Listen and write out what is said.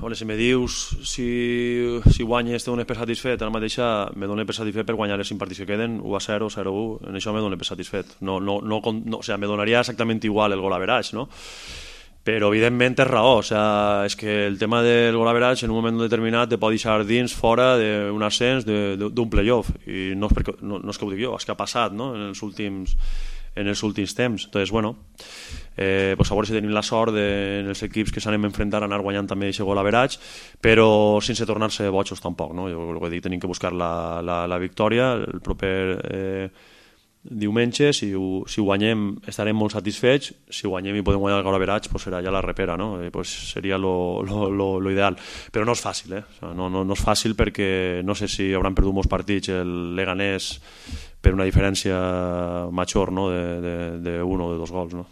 Bueno, si me dius si guanyes te dones per satisfet, ara mateixa me dono per satisfet per guanyar els 5 partits que queden, 1-0, 0-1, en això me dono per satisfet. O sea, me donaria exactament igual el gol average, no? Però evidentment té raó, o sea, és que el tema del gol average en un moment determinat te pot deixar dins, fora d'un ascens, d'un playoff, i no és que ho dic jo, és que ha passat, no? en els últims temps. Entonces, bueno, pues a veure si tenim la sort en els equips que s'anem a enfrontar a anar guanyant també aquest gol average, però sense tornar-se bojos tampoc, no? Jo el que dic, tenim que buscar la victòria el proper diumenge. Si ho guanyem estarem molt satisfets, si guanyem i podem guanyar el gol average pues serà ja la repera, no? Pues seria lo ideal, però no és fàcil, o sea, no és fàcil, perquè no sé si hauran perdut molts partits el Leganés per una diferència major, no? de un o de 2 gols, no?